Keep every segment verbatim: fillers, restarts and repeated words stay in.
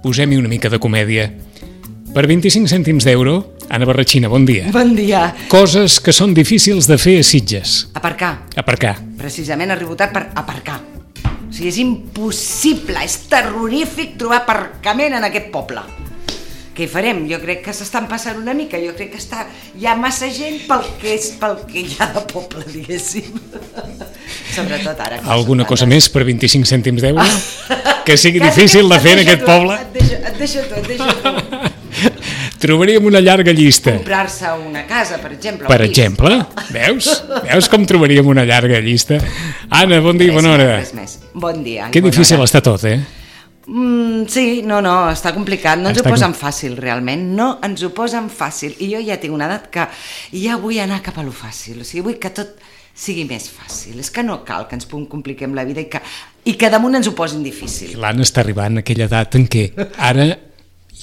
posem-hi una mica de comèdia. Per vint-i-cinc cèntims d'euro, Anna Barratxina, bon dia. Bon dia. Coses que són difícils de fer a Sitges. Aparcar. Aparcar. Precisament arribo tard per aparcar. O sigui, és impossible, és terrorífic trobar aparcament en aquest poble. Què hi farem? Jo crec que s'estan passant una mica, jo crec que està, hi ha massa gent pel que és pel que hi ha de poble, diguéssim. Sobretot ara. Alguna cosa més per vint-i-cinc cèntims d'euro? Que sigui difícil de fer en aquest poble? Et deixo, et deixo tu, et deixo tu. Trobaríem una llarga llista. Comprar-se una casa, per exemple. Per exemple? Veus? Veus com trobaríem una llarga llista? Anna, bon dia i bona hora. Res més. Bon dia. Que difícil està tot, eh? Mm, sí, no, no, està complicat, no ens Està ho posen com- fàcil realment, no ens ho posen fàcil i jo ja tinc una edat que ja vull anar cap a lo fàcil, o sigui, vull que tot sigui més fàcil, és que no cal que ens compliquem la vida i que, i que damunt ens ho posin difícil. L'Anna està arribant a aquella edat en què ara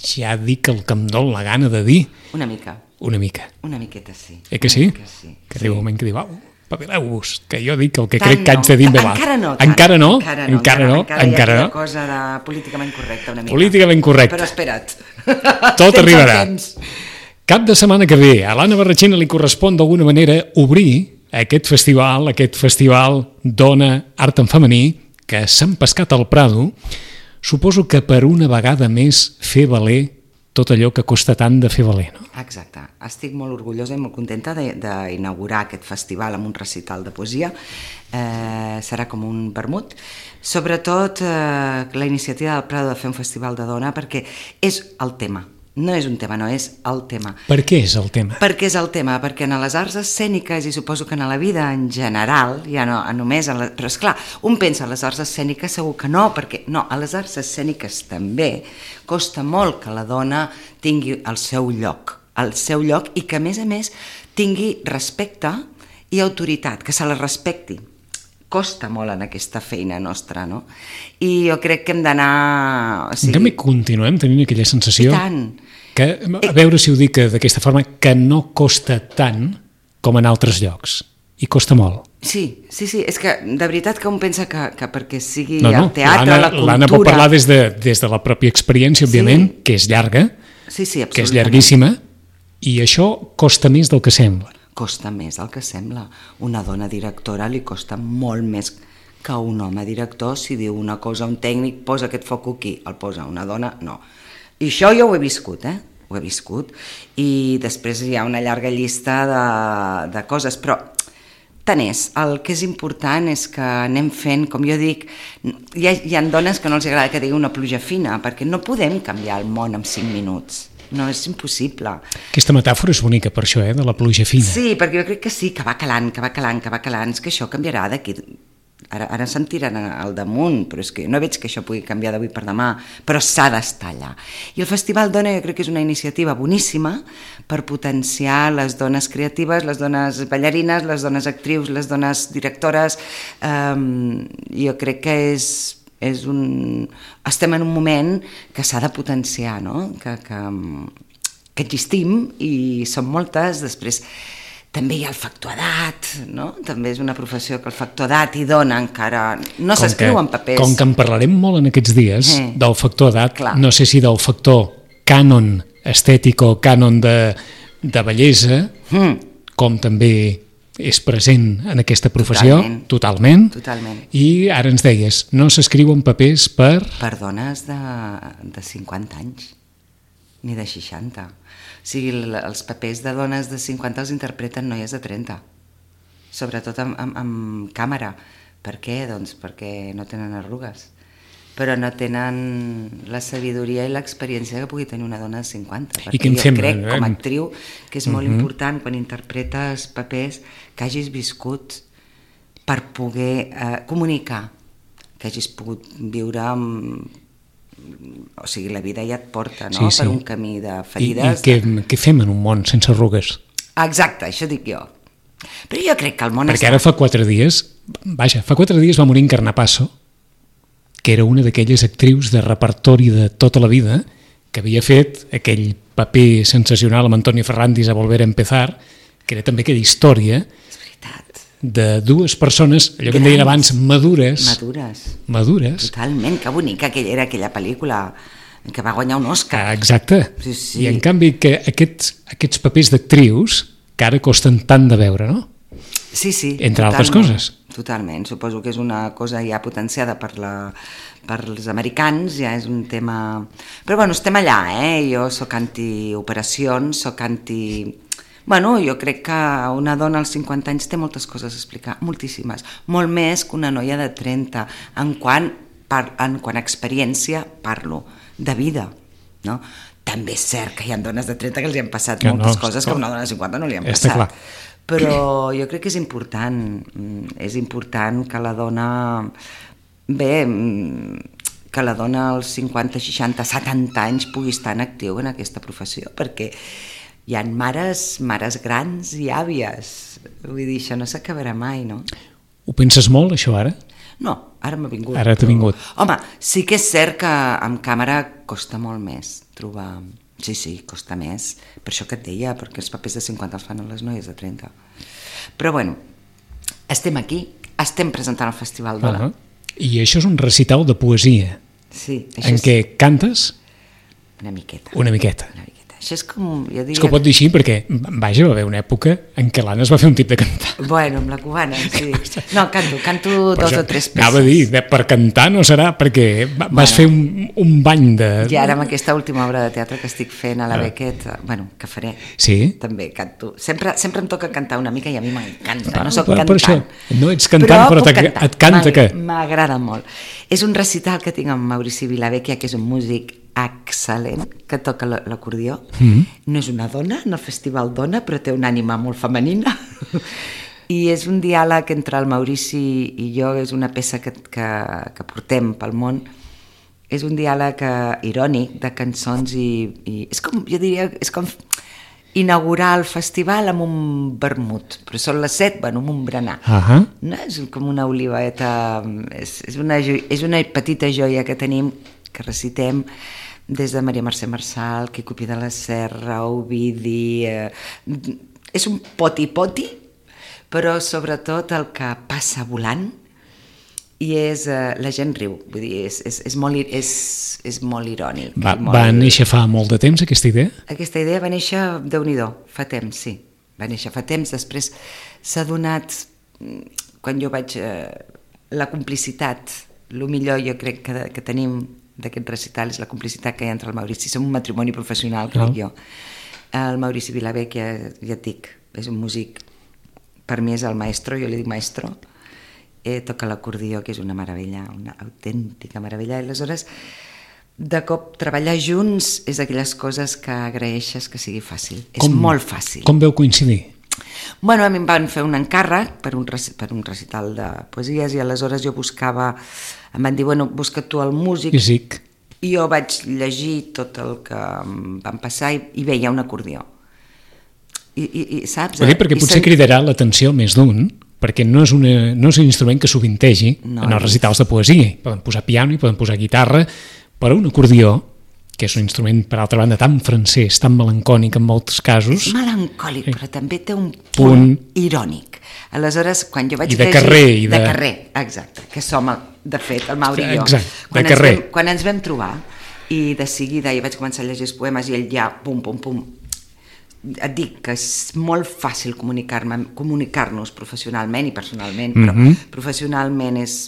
ja dic el que em dol la gana de dir. Una mica, Una mica. una miqueta sí. Eh que sí? Que sí. Que arriba un moment que diu, au, pavileu-vos, que jo dic el que Tant crec que no. haig de dir en veu alta. Encara no, Encara no? encara Encara no, no? encara hi ha Encara aquella no? cosa de políticament correcta una mica. Políticament correcte. Però espera't. Tot Tens el arribarà. temps. Cap de setmana que ve, a l'Anna Barratxina li correspon d'alguna manera obrir aquest festival, aquest festival Dona Art en Femení, que s'han pescat al Prado. Suposo que per una vegada més fer valer tot allò que costa tant de fer valer, no? Exacte. Estic molt orgullosa i molt contenta de- d'inaugurar aquest festival amb un recital de poesia. Eh, serà com un vermut. Sobretot eh, la iniciativa del Prado de fer un festival de dona perquè és el tema. No és un tema, no, és el tema. Per què és el tema? Per què és el tema? Perquè en les arts escèniques, i suposo que en la vida en general, ja no només en la... Però esclar, un pensa en les arts escèniques, segur que no, perquè no, a les arts escèniques també costa molt que la dona tingui el seu lloc, el seu lloc, i que a més a més tingui respecte i autoritat, que se la respecti. Costa molt en aquesta feina nostra, no? I jo crec que hem d'anar... O En canvi, continuem tenint aquella sensació I tant. que, a veure si ho dic d'aquesta forma, que no costa tant com en altres llocs. I costa molt. Sí, sí, sí, és que de veritat que un pensa que, que perquè sigui No, no, el teatre, l'Anna- la cultura... L'Anna pot parlar des de, des de la pròpia experiència, òbviament, Sí. que és llarga, Sí, sí, que és absolutament. llarguíssima, i això costa més del que sembla. Costa més del que sembla. Una dona directora li costa molt més que un home director. Si diu una cosa un tècnic, posa aquest foc aquí, el posa una dona, no. I això jo ho he viscut, eh? Ho he viscut. I després hi ha una llarga llista de, de coses, però tant és. El que és important és que anem fent, com jo dic, hi ha, hi ha dones que no els agrada que digui una pluja fina, perquè no podem canviar el món en cinc minuts. No, és impossible. Aquesta metàfora és bonica per això, eh, de la pluja fina. Sí, perquè jo crec que sí, que va calant, que va calant, que va calant, és que això canviarà d'aquí... Ara, ara se'n tiren al damunt, però és que no veig que això pugui canviar d'avui per demà, però s'ha d'estar allà. I el Festival Dona jo crec que és una iniciativa boníssima per potenciar les dones creatives, les dones ballarines, les dones actrius, les dones directores. Um, jo crec que és... és un... estem en un moment que s'ha de potenciar, no? que, que, que existim i són moltes. Després també hi ha el factor edat, no? També és una professió que el factor edat i dona encara no s'escriu en papers. Com que en parlarem molt en aquests dies Eh. del factor edat, Clar. no sé si del factor cànon estètic o cànon de, de bellesa, Mm. com també és present en aquesta professió, Totalment. totalment, Totalment. i ara ens deies, no s'escriuen papers per... Per dones de, de cinquanta anys, ni de seixanta. O sigui, l- els papers de dones de cinquanta els interpreten noies de trenta, sobretot amb, amb, amb càmera. Per què? Doncs perquè no tenen arrugues, però no tenen la sabidoria i l'experiència que pugui tenir una dona de cinquanta. I què en jo fem? crec, com a Eh? actriu, que és molt important quan interpretes papers que hagis viscut per poder eh, comunicar, que hagis pogut viure amb... O sigui, la vida ja et porta, no?, Sí, sí. per un camí de I, i ferides. què, què fem en un món sense arrugues? Exacte, això dic jo. Però jo crec que el món Perquè ara fa quatre dies, vaja, fa quatre dies va morir en Carnapasso, que era una d'aquelles actrius de repertori de tota la vida, que havia fet aquell paper sensacional amb Antonio Ferrandis a Volver a Empezar, que era també aquella història És veritat. de dues persones, allò que em deien abans, madures, Madures. madures, Totalment, que bonica aquella era aquella pel·lícula. que va guanyar un Òscar. Ah, exacte. Sí, sí. I en canvi que aquests, aquests papers d'actrius que ara costen tant de veure, no? Sí, sí. Entre altres totalment, coses. Totalment. Suposo que és una cosa ja potenciada per, la, per els americans, ja és un tema... Però bueno, estem allà, eh? Jo sóc anti-operacions, sóc anti... Bueno, jo crec que una dona als cinquanta anys té moltes coses a explicar, moltíssimes, molt més que una noia de trenta, en quant, par, en quant a experiència parlo, de vida, no? També és cert que hi ha dones de trenta que els hi han passat que moltes no, coses clar. que a una dona de cinquanta no li han Està passat. clar. Però jo crec que és important, és important que la dona, bé, que la dona als cinquanta, seixanta, setanta anys pugui estar en actiu en aquesta professió, perquè hi ha mares, mares grans i àvies, vull dir, això no s'acabarà mai, no? Ho penses molt, això, ara? No, ara m'ha vingut. Ara t'ha vingut. Home, sí que és cert que amb càmera costa molt més trobar... Sí, sí, costa més. Per això que et deia, perquè els papers de cinquanta els fan les noies de trenta. Però bueno, estem aquí, estem presentant el Festival Dona. Uh -huh. I això és un recital de poesia. Sí. Això en és... què cantes? Una miqueta. Una miqueta. Una miqueta. Això és com... Jo diria... És que ho pot dir així perquè, vaja, va haver una època en què l'Anna es va fer un tip de cantar. Bueno, amb la cubana, sí. No, canto, canto dos o tres peces. Anava a dir, per cantar no serà, perquè vas bueno, fer un, un bany de... I ara amb aquesta última obra de teatre que estic fent a la Beckett, bueno, que faré, sí? també canto. Sempre, sempre em toca cantar una mica i a mi m'encanta, ah, no soc per, cantant. Per això, no ets cantant, però, però cantar. et canta què? M'agrada molt. És un recital que tinc amb Maurici Vilavecchia, que és un músic excel·lent, que toca l'acordió. Mm-hmm. No és una dona, en el Festival Dona, però té una ànima molt femenina. I és un diàleg entre el Maurici i jo, és una peça que, que, que portem pel món. És un diàleg uh, irònic de cançons i, i... És com, jo diria, és com inaugurar el festival amb un vermut, però són les set, bueno, amb un berenar. Uh-huh. No? És com una oliveta, és, és, una, és una petita joia que tenim, que recitem, des de Maria Mercè Marçal, Quico Pi de la Serra, Ovidi... Eh, és un poti-poti, però sobretot el que passa volant, i és, eh, la gent riu, vull dir, és, és, és, molt, és, és molt irònic. Va, molt... va néixer fa molt de temps, aquesta idea? Aquesta idea va néixer, Déu-n'hi-do, fa temps, sí. Va néixer fa temps, després s'ha donat, quan jo vaig... Eh, la complicitat, el millor jo crec que, que tenim d'aquest recital és la complicitat que hi ha entre el Maurici. Som un matrimoni professional, crec jo. El Maurici Vilavecchia, ja et dic, és un músic, per mi és el maestro, jo li dic maestro, eh, toca l'acordió, que és una meravella, una autèntica meravella, i aleshores, de cop, treballar junts és aquelles coses que agraeixes que sigui fàcil. Com, és molt fàcil. Com veu coincidir? Bueno, a mi em van fer un encàrrec per un, per un recital de poesies i aleshores jo buscava, em van dir, bueno, busca tu el músic. Físic. I jo vaig llegir tot el que em van passar i, i veia un acordió. I, i, i saps? Dir, perquè I potser sent... cridarà l'atenció més d'un, perquè no és, una, no és un instrument que sovintegi no, en els recitals de poesia. Poden posar piano i poden posar guitarra, però un acordió, que és un instrument, per altra banda, tan francès, tan melancònic en molts casos... És melancòlic, però també té un punt, punt irònic. Aleshores, quan jo vaig I de llegir... carrer. I de... de carrer, exacte, que som, de fet, el Mauri i jo. Exacte, quan de carrer. Ens vam, quan ens vam trobar, i de seguida jo vaig començar a llegir els poemes i ell ja, pum, pum, pum, et dic que és molt fàcil comunicar-me, comunicar-nos professionalment i personalment, però mm-hmm. professionalment és...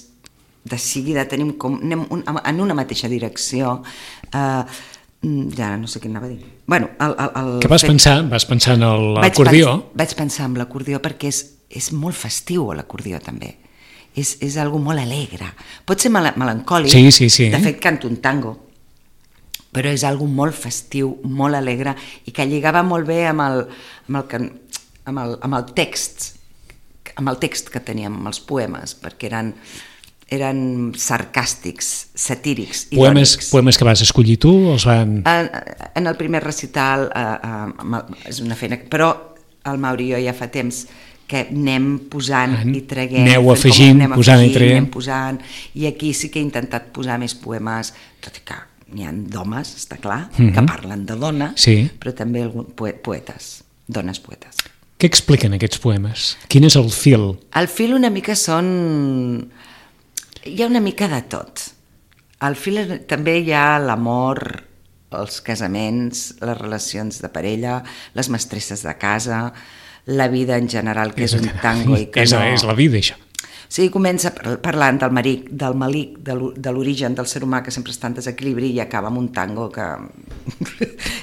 de seguida tenim com, anem un, en una mateixa direcció, eh, ja no sé què anava a dir. Bueno, el, el, el que vas fet... pensar? Vas pensar en l'acordió? Vaig, vaig pensar en l'acordió perquè és, és molt festiu l'acordió també. És, és algo molt alegre. Pot ser mel melancòlic, sí, sí, sí. De fet canto un tango, però és algo molt festiu, molt alegre i que lligava molt bé amb el, amb el, amb el, amb el text, amb el text que teníem, amb els poemes, perquè eren... eren sarcàstics, satírics, poemes, irònics. Poemes que vas escollir tu? Els van... En, en el primer recital, eh, eh, és una feina, però el Mauri i jo ja fa temps que anem posant ah, i traguem. Aneu afegint, anem posant afegint, i traient. Anem posant, i aquí sí que he intentat posar més poemes, tot i que n'hi ha d'homes, està clar, mm-hmm. que parlen de dona, sí. però també algun, poetes, dones poetes. Què expliquen aquests poemes? Quin és el fil? El fil una mica són... Hi ha una mica de tot. Al fil també hi ha l'amor els casaments, les relacions de parella, les mestresses de casa, la vida en general, que és, és un tango i que és, no... És la vida, això. Sí, comença parlant del maric, del malic, de l'origen del ser humà que sempre està en desequilibri i acaba amb un tango que,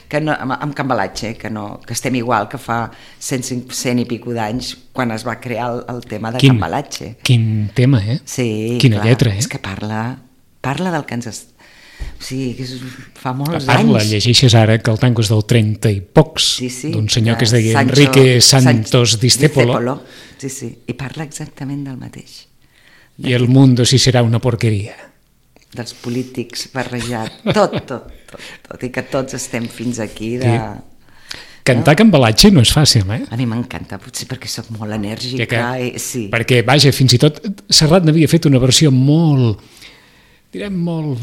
que no, amb, amb cambalatge, que, no, que estem igual que fa cent, cent i pico d'anys quan es va crear el, el tema de quin, cambalatge. Quin tema, eh? Sí, quina clar, lletra, eh? És que parla, parla del que ens... Est... O sigui, que és, fa molts parla, anys. Llegeixes ara que el tango és del trenta i pocs, sí, sí, d'un senyor que es deia Sancho, Enrique Santos Discépolo. Discépolo. Sí, sí, i parla exactament del mateix. I el mundo sí serà una porqueria. Dels polítics barrejat, tot, tot, tot, tot, i que tots estem fins aquí de... Sí. Cantar no? Cambalatge no és fàcil, eh? A mi m'encanta, potser perquè sóc molt enèrgica. Que, i, sí. Perquè, vaja, fins i tot Serrat n'havia fet una versió molt, direm, molt...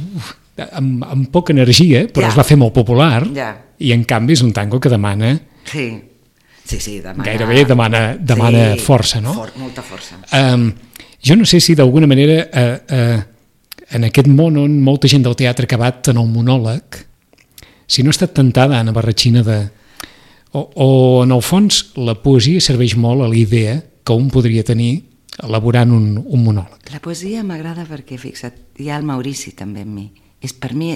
amb, amb poca energia, però ja. Es va fer molt popular, ja. I en canvi és un tango que demana... Sí, sí, sí, demana... Gairebé demana, demana sí, força, no? For, molta força. Um, jo no sé si d'alguna manera uh, uh, en aquest món on molta gent del teatre ha acabat en el monòleg, si no ha estat tentada Anna Barratxina de... O, o en el fons la poesia serveix molt a la idea que un podria tenir elaborant un, un monòleg. La poesia m'agrada perquè, fixa't, hi ha el Maurici també en mi. És, per mi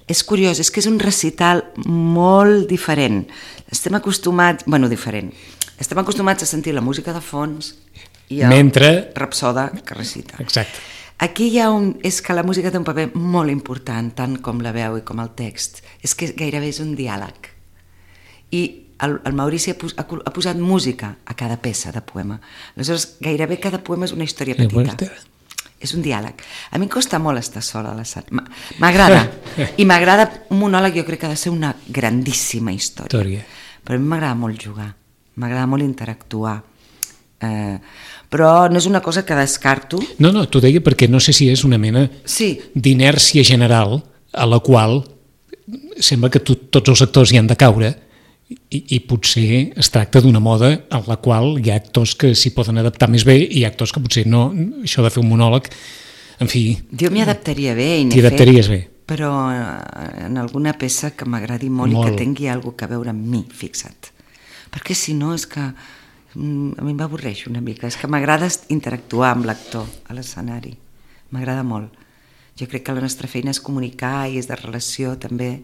és curiós, és que és un recital molt diferent. Estem acostumats, bueno, diferent, estem acostumats a sentir la música de fons i el mentre... rapsoda que recita. Exacte. Aquí hi ha un... és que la música té un paper molt important, tant com la veu i com el text. És que gairebé és un diàleg. I el, el Maurici ha, pos, ha posat música a cada peça de poema. Aleshores, gairebé cada poema és una història petita. És un diàleg. A mi em costa molt estar sola a l'escenari. M'agrada. I m'agrada un monòleg, jo crec que ha de ser una grandíssima història. història. Però a mi m'agrada molt jugar. M'agrada molt interactuar. Eh, però no és una cosa que descarto. No, no, t'ho deia perquè no sé si és una mena sí. d'inèrcia general a la qual sembla que tu, tots els actors hi han de caure i, i potser es tracta d'una moda en la qual hi ha actors que s'hi poden adaptar més bé i hi ha actors que potser no, això de fer un monòleg, en fi... Jo m'hi adaptaria bé i n'he fet, bé. Però en alguna peça que m'agradi molt, molt i que tingui alguna que veure amb mi, fixa't. Perquè si no és que a mi m'avorreix una mica, és que m'agrada interactuar amb l'actor a l'escenari, m'agrada molt. Jo crec que la nostra feina és comunicar i és de relació també.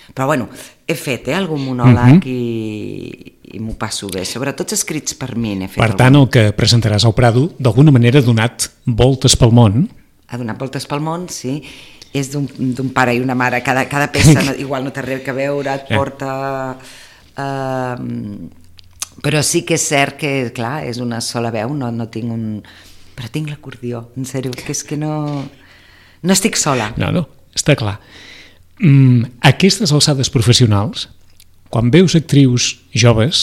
Però bueno, he fet eh, algun monòleg uh-huh. i, i m'ho passo bé, sobretot escrits per mi. Fet per tant, algun... el que presentaràs al Prado, d'alguna manera ha donat voltes pel món. Ha donat voltes pel món, sí. És d'un pare i una mare, cada, cada peça no, igual no té res que veure, et porta... Uh, però sí que és cert que, clar, és una sola veu, no, no tinc un... Però tinc l'acordió, en sèrio, que és que no... No estic sola. No, no, està clar. Mm, aquestes alçades professionals, quan veus actrius joves,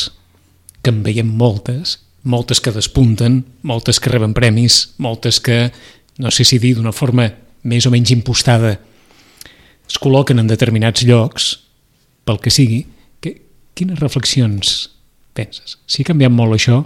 que en veiem moltes, moltes que despunten, moltes que reben premis, moltes que, no sé si dir d'una forma més o menys impostada, es col·loquen en determinats llocs, pel que sigui, que, quines reflexions penses? Si ha canviat molt això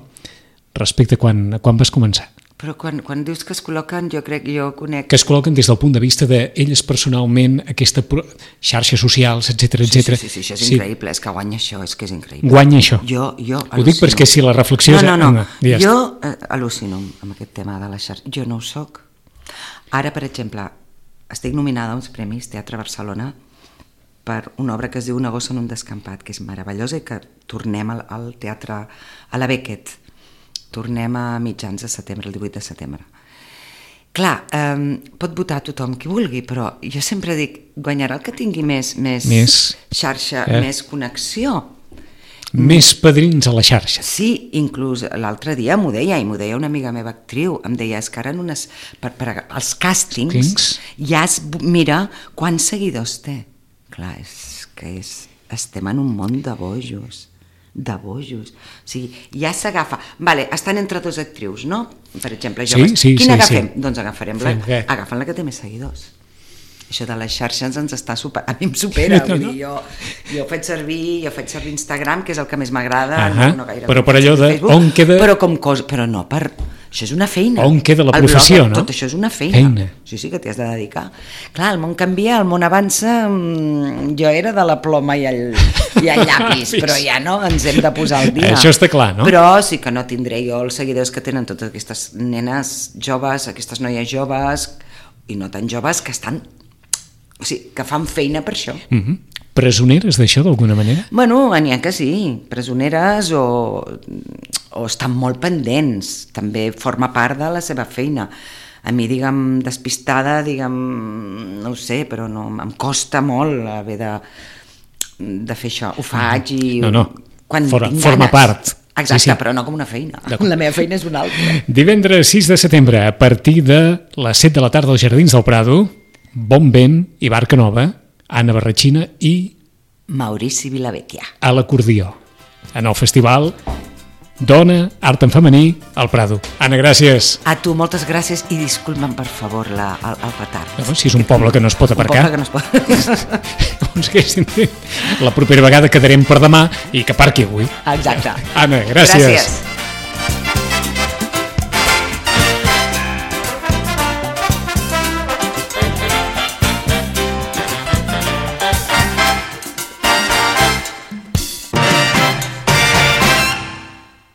respecte a quan, a quan vas començar? Però quan, quan dius que es col·loquen, jo crec que jo conec... Que es col·loquen des del punt de vista d'elles personalment, aquesta pro... xarxes socials, etcètera, etcètera. Sí, sí, sí, això és sí. increïble, és que guanya això, és que és increïble. Guanya això. Jo, jo ho dic perquè si la reflexió... No, no, no, no. Ja jo eh, al·lucino amb aquest tema de les xarxes. Jo no ho soc. Ara, per exemple, estic nominada a uns premis Teatre Barcelona per una obra que es diu Una gossa en un descampat, que és meravellosa i que tornem al, al teatre a la Beckett. Tornem a mitjans de setembre, el divuit de setembre. Clar, eh, pot votar tothom qui vulgui, però jo sempre dic, guanyarà el que tingui més, més, més xarxa, eh? més connexió. Més padrins a la xarxa. Sí, inclús l'altre dia m'ho deia, i m'ho deia una amiga meva actriu, em deia, és que ara en unes, per, per als càstings Kings? ja es mira quants seguidors té. Clar, és que és, estem en un món de bojos. de bojos, o sigui, ja s'agafa vale, estan entre dos actrius, no? Per exemple, joves, sí, sí, quina sí, agafem? Sí. Doncs agafarem la, agafen la que té més seguidors. Això de les xarxes ens està super... a mi em supera, vull dir, jo, jo faig servir jo faig servir Instagram, que és el que més m'agrada, uh-huh. no, no gaire, però per allò de Facebook, on queda... però com cosa, però no per Això és una feina. On queda la El professió, blogger, no? Tot això és una feina. Feina. Sí, sí, que t'hi has de dedicar. Clar, el món canvia, el món avança, mm, jo era de la ploma i el, i el llapis, però ja no, ens hem de posar al dia. Això està clar, no? Però sí que no tindré jo els seguidors que tenen totes aquestes nenes joves, aquestes noies joves, i no tan joves, que estan... O sigui, que fan feina per això. Mm-hmm. Presoneres d'això, d'alguna manera? Bueno, n'hi ha que sí, presoneres o, o estan molt pendents, també forma part de la seva feina. A mi, diguem, despistada, diguem, no ho sé, però no, em costa molt haver de, de fer això. Ho faig i... No, no, quan For, tinc forma ganes. part. Exacte, sí, sí. Però no com una feina. La meva feina és una altra. Divendres sis de setembre, a partir de les set de la tarda als Jardins del Prado, Bon Vent i Barca Nova, Anna Barratxina i Maurici Vilavecchia. a l'acordió, en el festival Dona, Art en Femení, al Prado. Anna, gràcies. A tu, moltes gràcies i disculpa'm, per favor, la, el, el retard. No, si és un poble que no es pot aparcar. Un poble que no es pot... Doncs que la propera vegada quedarem per demà i que parqui avui. Exacte. Anna, gràcies. Gràcies.